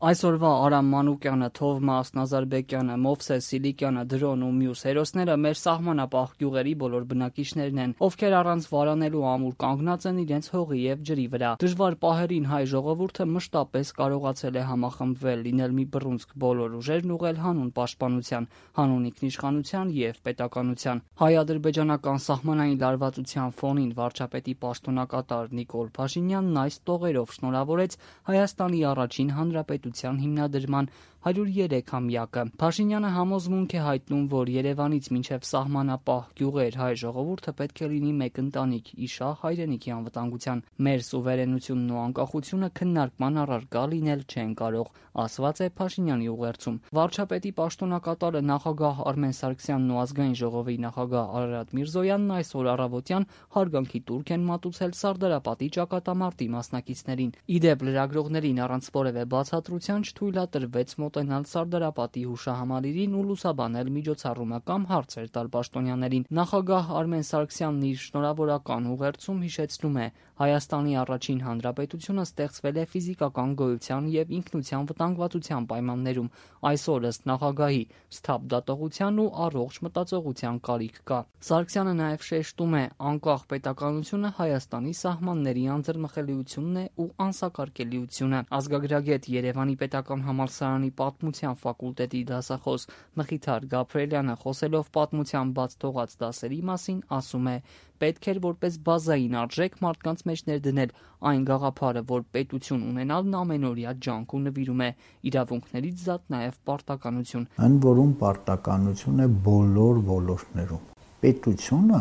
Այսօրվա Արամ Մանուկյանը, Թովմաս Նազարբեկյանը, Մովսես Սիլիկյանը, Դրոն ու մյուս հերոսները մեր սահմանապահ գյուղերի բոլոր բնակիչներն են, ովքեր առանց վարանելու ամուր կանգնած են իրենց հողի եւ ջրի վրա։ Դժվար պահերին հայ ժողովուրդը մշտապես կարողացել է համախմբվել, լինել մի բռունցք բոլոր ուժերն ուղղել հանուն պաշտպանության, հանուն ինքնիշխանության եւ պետականության։ Հայ-ադրբեջանական սահմանային լարվածության ֆոնին վարչապետի պաշտոնակատար Նիկոլ Փաշինյանն այս տողերով շնորհավորեց Հայաստանի առաջին հանրապետության հիմնադրման 103-ամյակը։ Փաշինյանը համոզմունք է հայտնում, որ Երևանից մինչև սահմանապահ գյուղեր հայ ժողովուրդը պետք է լինի մեկ ընտանիք՝ իշահ հայրենիքի անվտանգության։ Մեր սուվերենությունն ու անկախությունը քննարկման առարկա լինել չեն կարող, ասված է Փաշինյանի ուղերձում։ Վարչապետի պաշտոնակատարը նախագահ Արմեն Սարգսյանն ու ազգային ժողովի նախագահ Արարատ Միրզոյանն այսօր առավոտյան հարգանքի տուրք են մատուցել Սարդարապատի ճակատամարտի մասնակիցներին։ Իդեպ լրագրողներին առանց որևէ բացատրության չթույլատրվեց մոտենալ Սարդարապատի հուշահամալիրին ու լուսաբանել միջոցառումը կամ հարցեր տալ պաշտոնյաներին։ Նախագահ Արմեն Սարգսյանն իր շնորհավորական ուղերձում հիշեցնում է. Հայաստանի առաջին հանրապետությունը ստեղծվել է ֆիզիկական գոյության եւ ինքնության վտանգվածության պայմաններում։ Այսօր ըստ նախագահի սթափ դատողության ու առողջ մտածողության կարիք կա։ Սարգսյանը նաեւ շեշտում է. անկախ պետականությունը Հայաստանի սահմանների անձեռնմխելիությունն է ու անսակարկելիությունը։ Ազգագրագետ Երևանի պետական համալսարանի պատմության ֆակուլտետի դասախոս Մխիթար Գաբրելյանը խոսելով պատմության բաց թողած դասերի մասին ասում է. պետք էր որպես բազային արժեք մարդկանց մեջ ներդնել այն գաղափարը, որ պետություն ունենալն ամենօրյա ջանք ու նվիրում է, իրավունքներից զատ նաև պարտականություն։ Այն որում պարտականություն է բոլոր ոլորտներում։ Պետությունը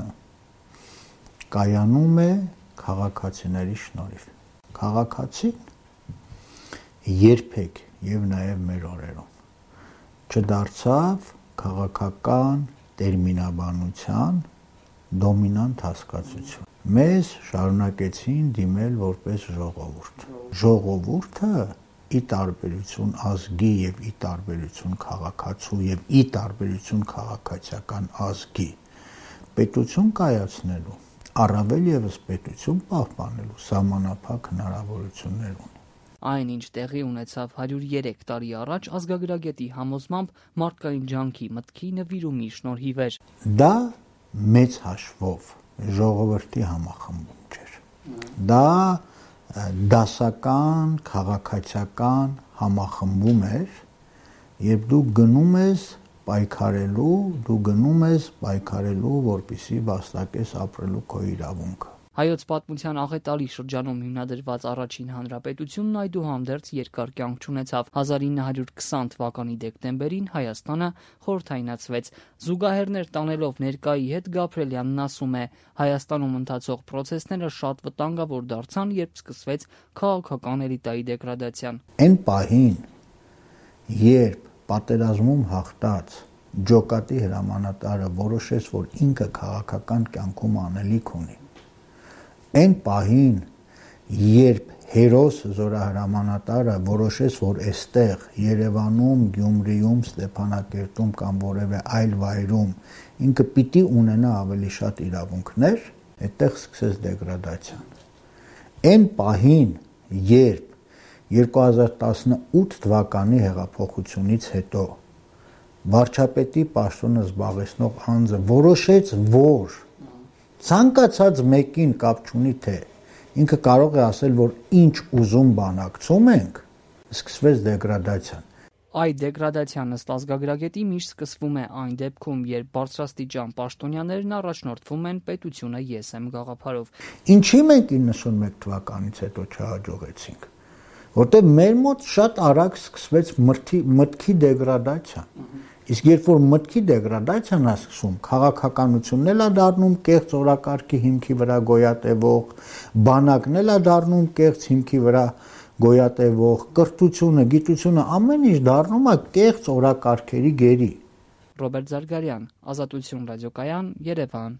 կայանում է քաղաքացիների շնորհիվ։ Քաղաքացին երբեք եւ նաեւ մեր օրերում չդարձավ քաղաքական տերմինաբանության դոմինանտ հասկացություն։ Մեզ շարունակեցին դիմել որպես ժողովուրդ։ Ժողովուրդը ի տարբերություն ազգի եւ ի տարբերություն քաղաքացու եւ ի տարբերություն քաղաքացիական ազգի պետություն կայացնելու, առավել եւս պետություն պահպանելու սահմանափակ հնարավորություններ ունի։ Այն, ինչ տեղի ունեցավ 103 տարի առաջ, ազգագրագետի համոզմամբ մարդկային ջանքի մտքի նվիրումի շնորհիվ էր։ Դա մեծ հաշվով ժողովրդի համախմբում չէր։ Դա դասական, քաղաքացիական համախմբում էր, երբ դու գնում ես պայքարելու, որպեսզի վաստակես ապրելու քո իրավունքը։ Հայոց պատմության աղետալի շրջանում հիմնադրված առաջին հանրապետությունն այդուհանդերձ երկար կյանք չունեցավ։ 1920 թվականի դեկտեմբերին Հայաստանը խորհրդայնացվեց։ Զուգահեռներ տանելով ներկայի հետ Գաբրելյանն ասում է. Հայաստանում ընթացող պրոցեսները շատ վտանգավոր դարձան, երբ սկսվեց քաղաքական էլիտայի դեգրադացիան։ Այն պահին, երբ պատերազմում հաղթած ջոկատի հրամանատարը որոշեց, որ ինքը քաղաքական կյանքում անելիք ունի, այն պահին, երբ հերոս զորահրամանատարը որոշեց, որ այստեղ Երևանում, Գյումրիում, Ստեփանակերտում կամ որևէ այլ վայրում ինքը պիտի ունենա ավելի շատ իրավունքներ, այդտեղ սկսեց դեգրադացիան։ Այն պահին, երբ 2018 թվականի հեղափոխությունից հետո վարչապետի պաշտոնը զբաղեցնող անձը որոշեց, որ ցանկացած մեկին կապ չունի թե ինքը կարող է ասել, որ ինչ ուզում բանակցում ենք, սկսվեց դեգրադացիան։ Այդ դեգրադացիան ըստ ազգագրագետի միշտ սկսվում է այն դեպքում, երբ բարձրաստիճան պաշտոնյաներն առաջնորդվում են պետությունը ես եմ գաղափարով։ Ինչի մենք 91 թվականից հետո չհաջողեցինք, որտեղ մեր մոտ շատ արագ սկսվեց մտքի դեգրադացիան։ Իսկ երբ որ մտքի դեգրադացիան է սկսում, քաղաքականությունն էլ է դառնում կեղծ օրակարգի հիմքի վրա գոյատևող, բանակն էլ է դառնում կեղծ հիմքի վրա գոյատևող, կրթությունը, գիտությունը, ամեն ինչ դառնում է կեղծ օրակարգերի գերի։ Ռոբերտ Զարգարյան, Ազատություն ռադիոկայան, Երևան։